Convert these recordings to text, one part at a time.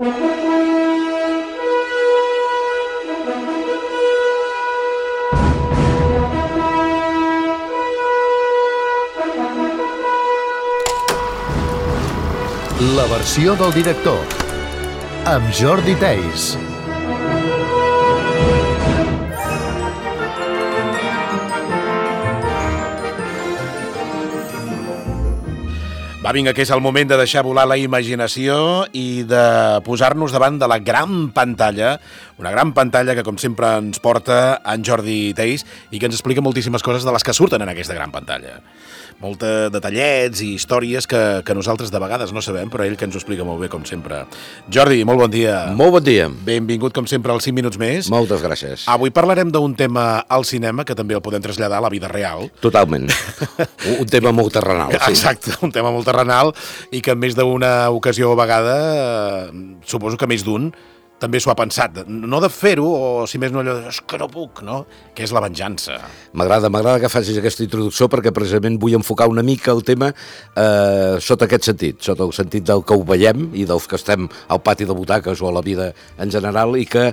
La versió del director, amb Jordi Theis. Va, vinga, que és el moment de deixar volar la imaginació i de posar-nos davant de la gran pantalla, una gran pantalla que, com sempre, ens porta en Jordi Theis i que ens explica moltíssimes coses de les que surten en aquesta gran pantalla. Molts detallets i històries que nosaltres de vegades no sabem, però ell que ens ho explica molt bé, com sempre. Jordi, molt bon dia. Molt bon dia. Benvingut, com sempre, als 5 minuts més. Moltes gràcies. Avui parlarem d'un tema al cinema que també el podem traslladar a la vida real. Totalment. Un tema molt terrenal. Sí. Exacte, un tema molt terrenal i que en més d'una ocasió o vegada, suposo que més d'un, també s'ho ha pensat, no de fer-ho, o si més no allò de, és que no puc, no? Que és la venjança. M'agrada que facis aquesta introducció perquè precisament vull enfocar una mica el tema sota aquest sentit, sota el sentit del que ho veiem i dels que estem al pati de butaques o a la vida en general i que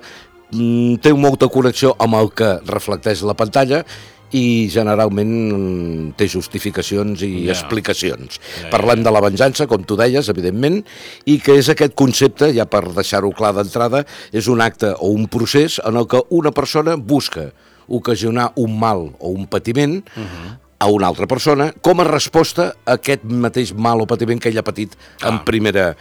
té molta connexió amb el que reflecteix la pantalla i generalment té justificacions i explicacions. Parlem de la venjança, com tu deies, evidentment, i que és aquest concepte, ja per deixar-ho clar d'entrada, és un acte o un procés en el que una persona busca ocasionar un mal o un patiment a una altra persona com a resposta a aquest mateix mal o patiment que ell ha patit en primera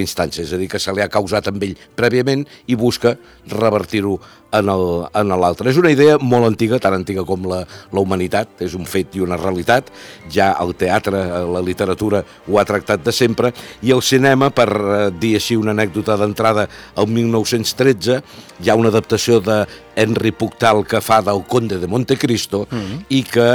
instància, és a dir, que se li ha causat amb ell prèviament i busca revertir-ho en l'altre. És una idea molt antiga, tan antiga com la humanitat, és un fet i una realitat, ja el teatre, la literatura ho ha tractat de sempre, i el cinema, per dir així una anècdota d'entrada, el 1913 hi ha una adaptació de Henry Pujol que fa del Conde de Montecristo i que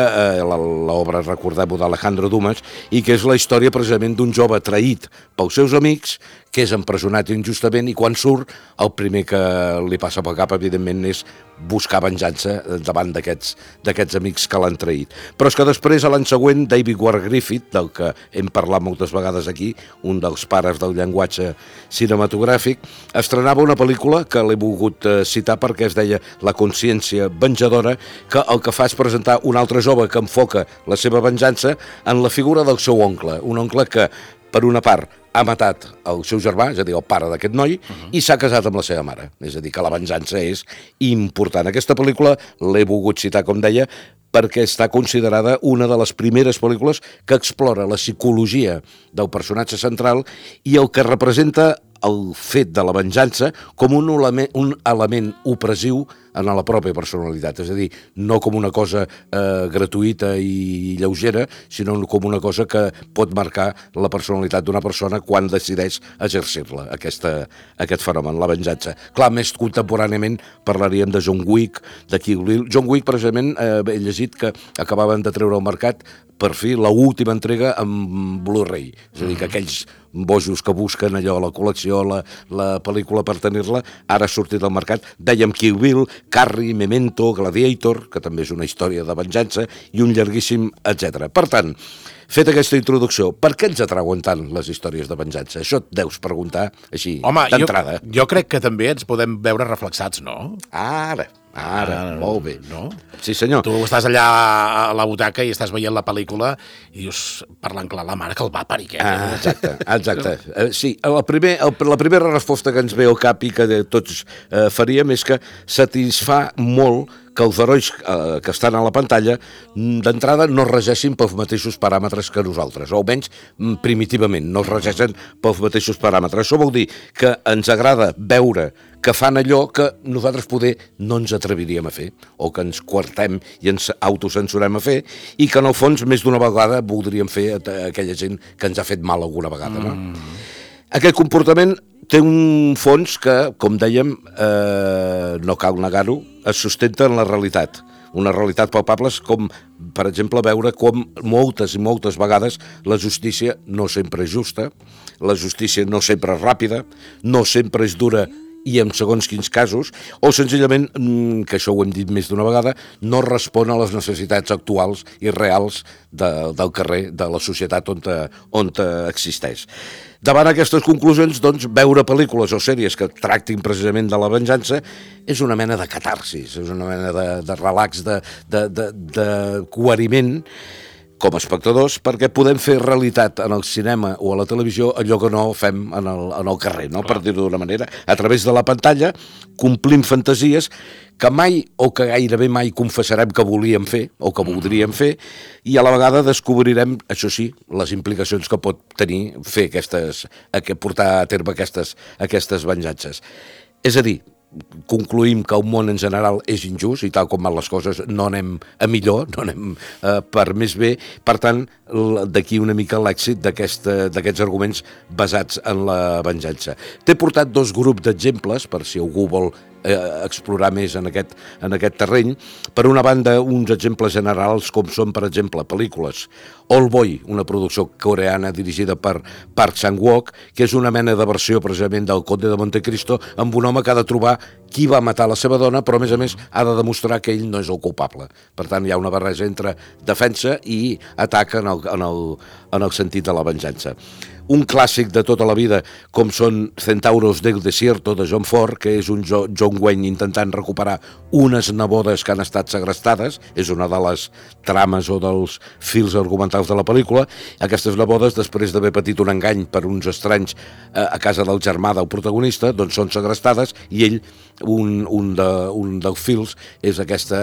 l'obra, recordem-ho, d'Alejandro Dumas, i que és la història precisament d'un jove traït pels seus amics, que és empresonat injustament i quan surt el primer que li passa pel cap evidentment és buscar venjança davant d'aquests amics que l'han traït. Però és que després, l'any següent, David Ward Griffith, del que hem parlat moltes vegades aquí, un dels pares del llenguatge cinematogràfic, estrenava una pel·lícula que l'he volgut citar perquè es deia La consciència venjadora, que el que fa és presentar un altre jove que enfoca la seva venjança en la figura del seu oncle, un oncle que, per una part, ha matat el seu germà, és a dir, el pare d'aquest noi, i s'ha casat amb la seva mare. És a dir, que la venjança és important. Aquesta pel·lícula l'he volgut citar, com deia, perquè està considerada una de les primeres pel·lícules que explora la psicologia del personatge central i el que representa el fet de la venjança com un element opressiu en la pròpia personalitat, és a dir, no com una cosa gratuïta i lleugera, sinó com una cosa que pot marcar la personalitat d'una persona quan decideix exercir-la, aquest fenomen, la venjança. Clar, més contemporàniament parlaríem de John Wick, de Kill Bill. John Wick, precisament, he llegit que acabaven de treure al mercat per fi l'última entrega amb Blu-ray, és a dir, que aquells bojos que busquen allò, la col·lecció, la pel·lícula per tenir-la, ara ha sortit al mercat. Dèiem Kill Bill, Carrie, Memento, Gladiator, que també és una història de venjança, i un llarguíssim, etc. Per tant, feta aquesta introducció, per què ens atrauen tant les històries de venjança? Això et deus preguntar així, d'entrada. Home, jo crec que també ens podem veure reflexats, no? Ara, molt bé. No? Sí, senyor. Tu estàs allà a la butaca i estàs veient la pel·lícula i dius, parlant clar, la mare que el va parir. Exacte. Sí, la primera resposta que ens ve al cap i que tots faríem és que satisfà molt que els herois que estan a la pantalla d'entrada no es regeixin pels mateixos paràmetres que nosaltres, o almenys primitivament no es regeixen pels mateixos paràmetres. Això vol dir que ens agrada veure que fan allò que nosaltres poder no ens atreviríem a fer, o que ens coartem i ens autocensurem a fer, i que en el fons més d'una vegada voldríem fer aquella gent que ens ha fet mal alguna vegada, no? Aquest comportament té un fons que, com dèiem, no cal negar-ho, es sustenta en la realitat. Una realitat palpable com, per exemple, veure com moltes i moltes vegades la justícia no sempre és justa, la justícia no sempre és ràpida, no sempre és dura i en segons quins casos, o senzillament, que això ho hem dit més d'una vegada, no respon a les necessitats actuals i reals del carrer, de la societat on existeix. Davant aquestes conclusions, doncs, veure pel·lícules o sèries que tractin precisament de la venjança és una mena de catarsis, és una mena de relax, de coheriment com a espectadors, perquè podem fer realitat en el cinema o a la televisió allò que no fem en el carrer, no? Per dir-ho d'una manera. A través de la pantalla complim fantasies que mai o que gairebé mai confessarem que volíem fer o que voldríem fer, i a la vegada descobrirem, això sí, les implicacions que pot tenir portar a terme aquestes venjances. És a dir, concluïm que el món en general és injust i tal com van les coses no anem a millor, no anem per més bé. Per tant, d'aquí una mica l'èxit d'aquests arguments basats en la venjança. T'he portat 2 grups d'exemples per si algú vol explorar més en aquest terreny. Per una banda, uns exemples generals com són, per exemple, pel·lícules Old Boy, una producció coreana dirigida per Park Chan-wook, que és una mena de versió precisament del Conde de Montecristo, amb un home que ha de trobar qui va matar la seva dona, però a més ha de demostrar que ell no és el culpable. Per tant, hi ha una barreja entre defensa i atac en el sentit de la venjança. Un clàssic de tota la vida, com són Centauros del Desierto, de John Ford, que és un John Wayne intentant recuperar unes nebodes que han estat segrestades, és una de les trames o dels fils argumentals de la pel·lícula. Aquestes nebodes, després d'haver patit un engany per uns estranys a casa del germà del protagonista, doncs són segrestades, i ell, un dels fils, és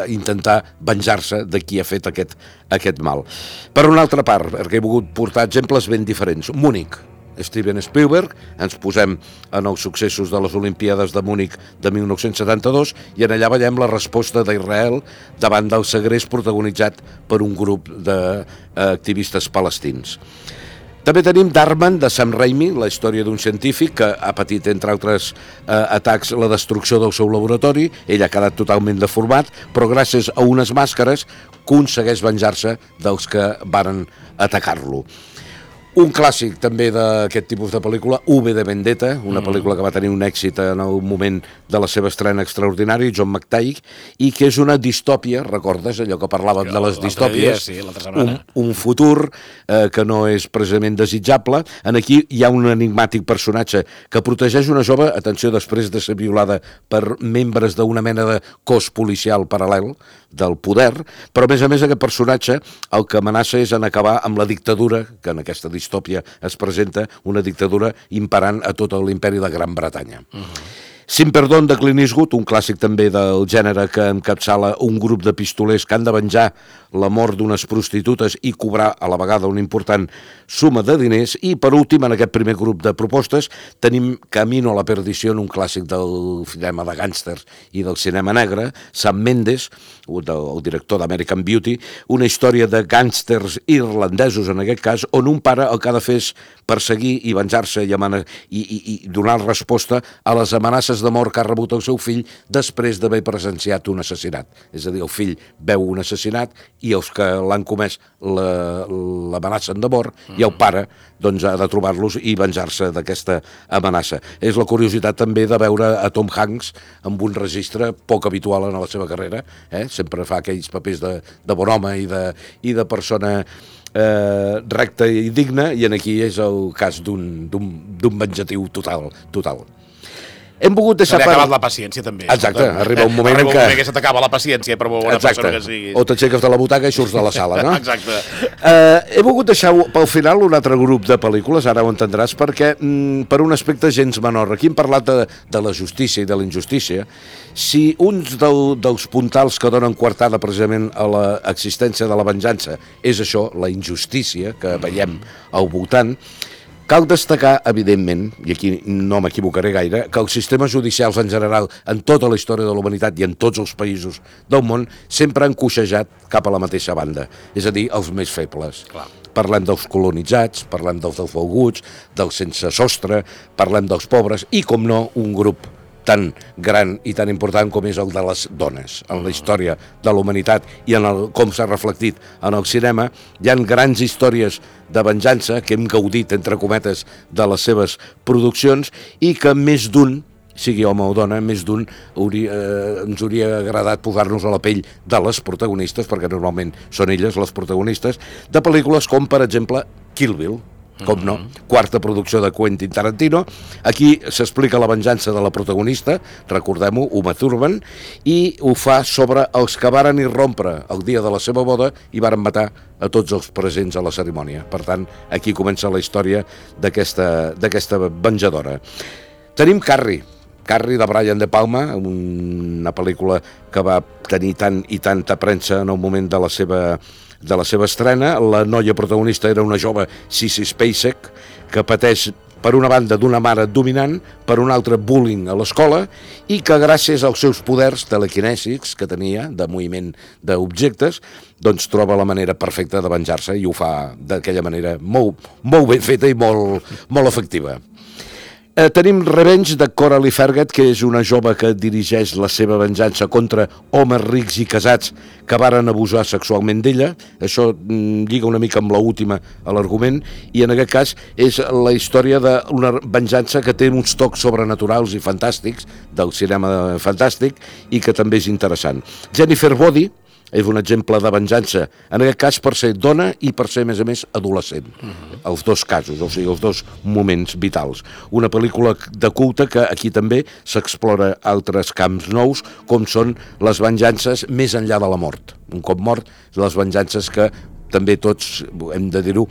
intentar venjar-se de qui ha fet aquest mal. Per una altra part, perquè he volgut portar exemples ben diferents. Múnich, Steven Spielberg, ens posem en els successos de les Olimpíades de Múnich de 1972 i en allà veiem la resposta d'Israel davant del segrest protagonitzat per un grup d'activistes palestins. També tenim Darman, de Sam Raimi, la història d'un científic que ha patit, entre altres atacs, la destrucció del seu laboratori. Ell ha quedat totalment deformat, però gràcies a unes màscares aconsegueix venjar-se dels que varen atacar-lo. Un clàssic també d'aquest tipus de pel·lícula, V de Vendetta, una pel·lícula que va tenir un èxit en el moment de la seva estrena extraordinari, John McTighe, i que és una distòpia, recordes allò que parlàvem de les distòpies? Sí, l'altra setmana. Un futur que no és precisament desitjable. En aquí hi ha un enigmàtic personatge que protegeix una jove, atenció, després de ser violada per membres d'una mena de cos policial paral·lel del poder, però a més aquest personatge el que amenaça és en acabar amb la dictadura, que en aquesta distòpia es presenta, una dictadura imperant a tot l'imperi de Gran Bretanya. Sin Perdón, de Clint Eastwood, un clàssic també del gènere que encapçala un grup de pistolers que han de venjar la mort d'unes prostitutes i cobrar a la vegada una important suma de diners. I per últim, en aquest primer grup de propostes, tenim Camino a la perdició, un clàssic del cinema de gàngsters i del cinema negre, Sam Mendes, el director d'American Beauty, una història de gàngsters irlandesos, en aquest cas, on un pare el que ha de fer és perseguir i venjar-se i donar resposta a les amenaces de mort que ha rebut el seu fill després d'haver presenciat un assassinat. És a dir, el fill veu un assassinat i els que l'han comès l'amenacen de mort i el pare doncs, ha de trobar-los i venjar-se d'aquesta amenaça. És la curiositat també de veure a Tom Hanks amb un registre poc habitual en la seva carrera. Sempre fa aquells papers de bon home i de persona recta i digna, i aquí és el cas d'un venjatiu total. Hem volgut deixar... Se li ha acabat la paciència, també. Exacte, arriba un moment en què... que se t'acaba la paciència, per molt bona persona que siguis. O t'aixeques de la butaca i surts de la sala, no? Exacte. He volgut deixar pel final un altre grup de pel·lícules, ara ho entendràs, perquè per un aspecte gens menor. Aquí hem parlat de la justícia i de la injustícia. Si uns dels puntals que donen coartada precisament a l'existència de la venjança és això, la injustícia que veiem al voltant, cal destacar, evidentment, i aquí no m'equivocaré gaire, que els sistemes judicials en general, en tota la història de la humanitat i en tots els països del món, sempre han coixejat cap a la mateixa banda, és a dir, els més febles. Clar. Parlem dels colonitzats, parlem dels desvalguts, dels sense sostre, parlem dels pobres i, com no, un grup tan gran i tan important com és el de les dones. En la història de la humanitat i com s'ha reflectit en el cinema, hi ha grans històries de venjança que hem gaudit, entre cometes, de les seves produccions i que més d'un sigui home o dona, més d'un ens hauria agradat posar-nos a la pell de les protagonistes, perquè normalment són elles les protagonistes, de pel·lícules com, per exemple, Kill Bill, com no, quarta producció de Quentin Tarantino. Aquí s'explica la venjança de la protagonista, recordem-ho, Uma Thurman, i ho fa sobre els que varen irrompre el dia de la seva boda i varen matar a tots els presents a la cerimònia. Per tant, aquí comença la història d'aquesta venjadora. Tenim Carrie de Brian De Palma, una pel·lícula que va tenir tant i tanta premsa en el moment de la seva estrena. La noia protagonista era una jove Sissy Spacek que pateix per una banda d'una mare dominant, per una altra bullying a l'escola, i que gràcies als seus poders telequinèsics que tenia de moviment d'objectes, doncs troba la manera perfecta de venjar-se i ho fa d'aquella manera molt ben feta i molt efectiva. Tenim Revenge de Coralie Fergat, que és una jove que dirigeix la seva venjança contra homes rics i casats que varen abusar sexualment d'ella. Això lliga una mica amb l'última a l'argument, i en aquest cas és la història d'una venjança que té uns tocs sobrenaturals i fantàstics, del cinema fantàstic, i que també és interessant. Jennifer Body és un exemple de venjança, en aquest cas per ser dona i per ser, a més, adolescent. Els dos casos, o sigui, els dos moments vitals. Una pel·lícula de culte que aquí també s'explora altres camps nous, com són les venjances més enllà de la mort. Un cop mort, les venjances que també tots, hem de dir-ho,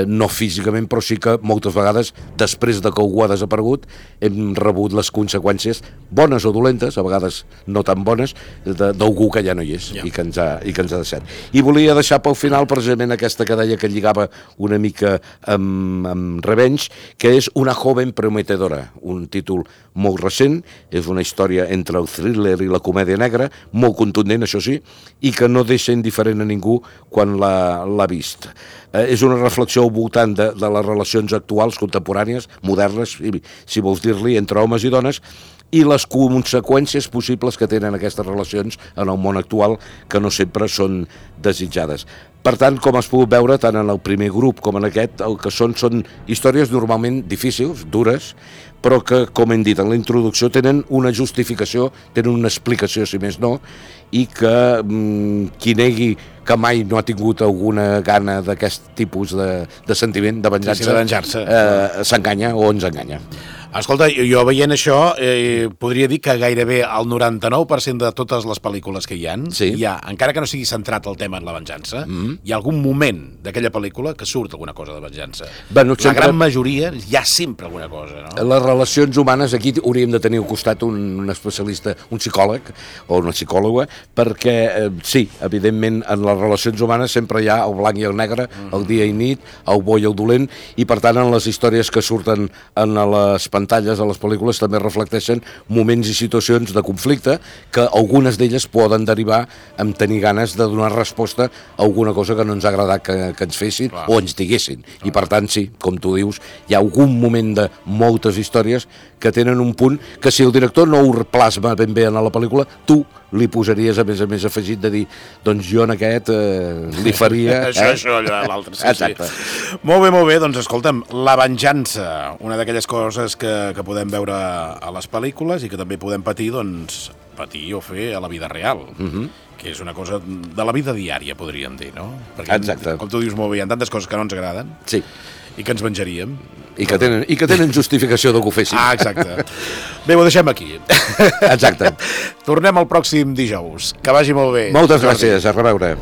no físicament, però sí que moltes vegades, després de que algú ha desaparegut, hem rebut les conseqüències, bones o dolentes, a vegades no tan bones, d'algú que ja no hi és, i que ens ha deixat. I volia deixar pel final precisament aquesta que deia que lligava una mica amb Revenge, que és Una joven prometedora, un títol molt recent, és una història entre el thriller i la comèdia negra, molt contundent, això sí, i que no deixa indiferent a ningú quan l'ha vist. És una reflexió al voltant de les relacions actuals, contemporànies, modernes, si vols dir-li, entre homes i dones, i les conseqüències possibles que tenen aquestes relacions en el món actual, que no sempre són desitjades. Per tant, com has pogut veure, tant en el primer grup com en aquest, el que són històries normalment difícils, dures, però que, com hem dit en la introducció, tenen una justificació, tenen una explicació, si més no, i que qui negui que mai no ha tingut alguna gana d'aquest tipus de sentiment, de venjança, s'enganya o ens enganya. Escolta, jo veient això podria dir que gairebé el 99% de totes les pel·lícules que hi ha, encara que no sigui centrat el tema en la venjança, hi ha algun moment d'aquella pel·lícula que surt alguna cosa de venjança. La gran majoria hi ha sempre alguna cosa, no? Les relacions humanes, aquí hauríem de tenir al costat un especialista, un psicòleg o una psicòloga, perquè sí, evidentment en les relacions humanes sempre hi ha el blanc i el negre, el dia i nit, el bo i el dolent, i per tant en les històries que surten en les pantalles, a les pel·lícules, també reflecteixen moments i situacions de conflicte que algunes d'elles poden derivar en tenir ganes de donar resposta a alguna cosa que no ens ha agradat que ens fessin o ens diguessin. I per tant, sí, com tu dius, hi ha algun moment de moltes històries que tenen un punt que si el director no ho plasma ben bé en la pel·lícula, tu li posaries, a més afegit de dir, doncs jo en aquest li faria... Això, l'altre, sí. Molt bé, doncs escolta'm, la venjança, una d'aquelles coses que podem veure a les pel·lícules i que també podem patir, doncs, patir o fer a la vida real, que és una cosa de la vida diària, podríem dir, no? Perquè, com tu dius molt bé, hi ha tantes coses que no ens agraden i que ens venjaríem. I que tenen justificació de que ho fessin. Exacte. Bé, ho deixem aquí. Exacte. Tornem el pròxim dijous. Que vagi molt bé. Moltes gràcies, a reveure.